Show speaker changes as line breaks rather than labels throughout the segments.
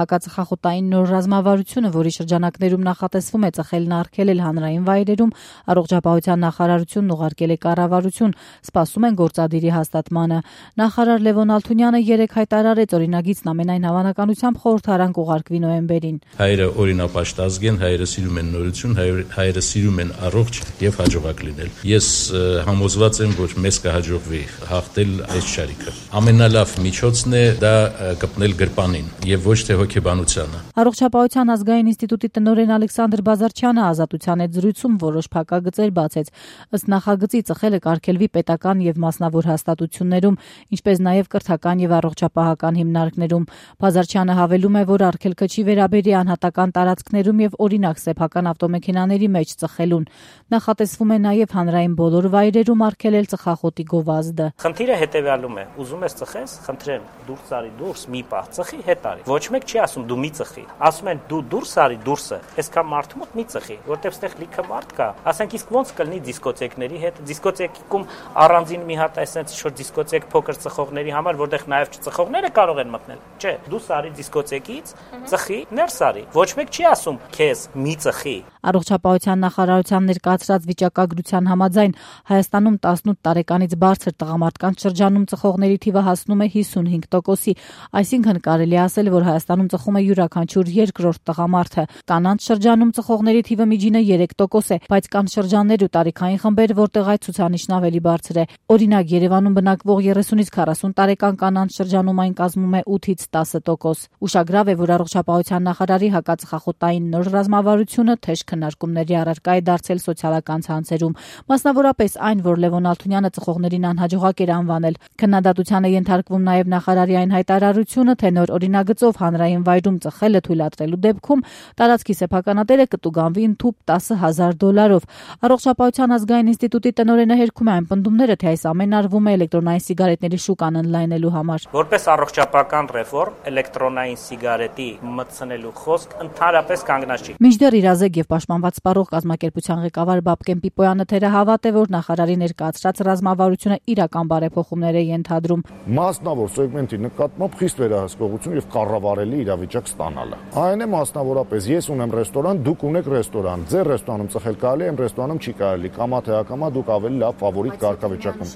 Հակածխախոտային նոր ռազմավարությունը, որի շրջանակներում նախատեսվում է ծխելն արգելել հանրային վայրերում, առողջապահության նախարարությունն ուղարկել է կառավարություն, սպասում են գործադիրի հաստատմանը։ Նախարար Լևոն Ալթունյանը երեկ հայտարարեց օրինագիծն ամենայն հավանականությամբ խորհրդարան կուղարկվի նոյեմբերին։
Հայերը օրինապաշտ ազգ են, հայերը սիրում են նորություն, հայերը սիրում են առողջ եւ հաջողակ լինել։ Ես համոզված եմ, որ մեզ կհաջողվի հաղթել այս շարիկը։ Ամենալավ միջոցն է դա կպնել գրպանին եւ ոչ թե հոգեբանությանը։
Առողջապահության ազգային ինստիտուտի տնօրեն Ալեքսանդր Բազարչյանը Ազատության հետ զրույցում որոշ փակագծեր բացեց։ Ըստ նախագծի ծխելը կարգելվի պետական եւ մասնավոր հաստատություններում, ինչպես նաեւ կրթական եւ առողջապահական հիմնարկներում։ Բազարչյանը հավելում է, որ արգելքը չի վերաբերի անհատական տարածքներում եւ օրինակ սեփական ավտոմեքենաների մեջ ծխելուն։ Նախատեսվում է նաեւ հանրային բոլոր վայրերում արգելել ծխախոտի գովազդը։
Խնդիրը հետեւյալում է. ուզում ես ծխես, խնդրեմ, դուրս արի, դուրս մի պահ ծխի, հետ արի։ Ոչ մեկ չի ասում դու մի ծխի։ Ասում են դու դուրս արի, դուրսը, այսքան մարդու մոտ մի ծխի, որտեղ ստեղ լիքը մարդ կա։ Ասենք իսկ ոնց կլինի դիսկոտեկների հետ։ Դիսկոտեկում առանձին մի հատ այսպես ինչ-որ դիսկոտեք փոքր ծխողների համար, որտեղ նաեւ չծխողները կարող են մտնել։ Չէ, դու սարի դիսկոտեկից, ծխի, ներս արի։ Ոչ մեկ չի ասում քեզ մի ծխի։
Առողջապահության նախարարության ներկայացրած վիճակագրության համաձայն Հայաստանում 18 տարեկանից բարձր տղամարդկանց շրջանում ծխողների թիվը հասնում է 55%-ի, այսինքն կարելի է ասել, որ Հայաստանում ծխում է յուրաքանչյուր երկրորդ տղամարդը։ Կանանց շրջանում ծխողների թիվը միջինը 3% է, բայց կան շրջաններ ու տարիքային խմբեր, որտեղ այդ ցուցանիշն ավելի բարձր է։ Օրինակ, Երևանում բնակվող 30-ից 40 տարեկան կանանց շրջանում այն կազմում է 8-ից 10%։ Ուշագրավ է, որ առողջապահության նախարարի հակածխախոտային նոր ռազմավարությունը թեժ քննարկումների առարկա է դարձել սոցիալական ցանցերում, մասնավորապես այն, որ Լևոն Ալթունյանը ծխողներին անհաջողակ էր անվանել։ Քննադատության է ենթարկվում նաև նախարարի այն հայտարարությունը, թե նոր օրինագծով հանրային վայրում ծխելը թույլատրելու դեպքում տարածքի սեփականատերը կտուգանվի ընդհուպ $10,000։ Առողջապահության ազգային ինստիտուտի տնօրենը հերքում է այն պնդումները, թե այս ամենը արվում է էլեկտրոնային սիգարետների շուկան ընդլայնելու համար։
Որպես առողջապահական ռեֆորմ էլեկտրոնային սիգարետի մտցնելու խոսք ընդհանրապես կանգնած չի։
Մինչդեռ իրազեկ եւ պաշտպանված սպառող կազմակերպության ղեկավար Բաբկեն Պիպոյանը թերահավատ է, որ նախարարի ներկայացրած ռազմավարությունը իրական բարեփոխումներ է ենթադրում։
Մասնավոր սեգմենտի նկատմամբ խիստ վերահսկողություն եւ կառավարելի իրավիճակ ստանալը։ Այն է մասնավորապես ես ունեմ ռեստորան, դուք ունեք ռեստորան, ձեր ռեստորանում ծխել կարելի է, իմ ռեստորանում չի կարելի, կամա թե ակամա դուք ավելի լավ ֆավորիտ կարգավիճակում։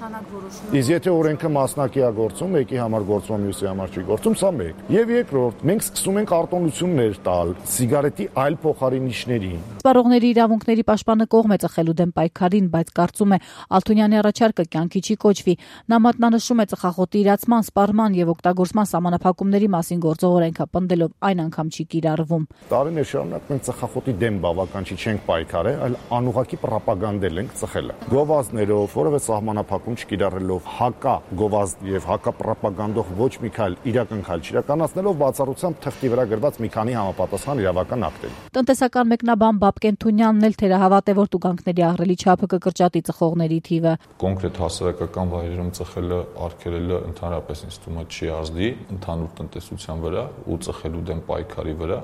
Իսկ եթե օրենքը մասնակիա գործում, մեկի համար գործում, մյուսի համար չի գործում, սա մեկ։ Եվ երկրորդ, մենք սկսում ենք արտոնություններ տալ սիգարետի այլ փոխարինիչներին։
Սպառողների իրավունքների պաշտպանը կողմ է ծխելու դեմ պայքարին, բայց կարծում է Ալթունյանի առաջարկը կյանքի չի կոչվի։ Նա մատնանշում է ծխախոտի իրացման, սպառման եւ օգտագործման սահմանափակումների մասին գործող օրենքը, պնդելով այն անգամ չի կիրառվում։
Տարիներ շարունակ մենք ծխախոտի դեմ բավական չենք պայքարել, այլ անուղղակի պրոպագանդել ենք ծխելը։ Գովազդներով, որևէ սահմանափակում չկիրառելով, հակա գովազդ եւ հակա պրոպագանդող ոչ մի քայլ իրական քայլ չիրականացնելով բացառությամբ թղթի վրա գրված մի քանի համապատասխան իրավական ակտերի։
Տնտեսական մեկնաբան Բաբկեն Թունյանն էլ թերահավատ է, որ տուգանքների ահռելի չափը կկրճատի ծխողների թիվը։
Կոնկրետ հասարակական վայրերում ծխելը արգելելը ընդհանրապես ինձ թվում է չի ազդի ընդհանուր տնտեսության վրա ու ծխելու դեմ պայքարի վրա,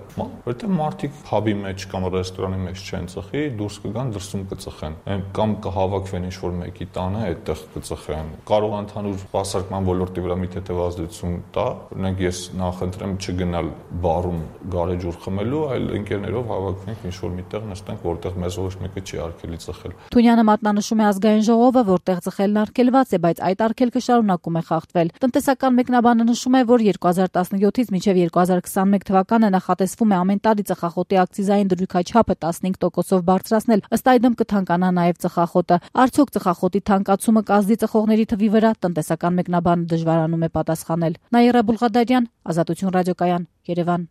որտեղ մարդիկ փաբի մեջ կամ ռեստորանի մեջ չեն ծխի, դուրս կգան, դրսում կծխեն, կամ կհավաքվեն ինչ-որ մեկի տանը, այդտեղ կծխեն։ Կարող է ընդհանուր հասարակական ոլորտի վրա մի թեթև ազդեցություն տա, օրինակ ես նախընտրեմ չգնալ բարում գարեջուր խմելու, այլ ընկերներով հավաքվենք ինչ-որ միտեղ նստենք, որտեղ մեզ ոչ մեկը չի արգելի ծխել։
Թունյանը մատնանշում է ազգային ժողովը, որտեղ ծխելն արգելված է, բայց այդ արգելքը շարունակում է խախտվել։ Տնտեսական մեկնաբանը նշում է, որ 2017-ից մինչև 2021 թվականը նախատեսվում է ամեն տարի ծխախոտի ակցիզային դրույքաչափը 15%-ով բարձրացնել, ըստ այդմ կթանկանա նաև ծխախոտը։ Արդյոք ծխախոտի թանկացումը կազդի ծխողների թվի վրա, տնտեսական մեկնաբանը դժվարանում է պատասխանել։ Նաիրա Բուլղադարյան, Ազատություն ռադիոկայան, Երևան։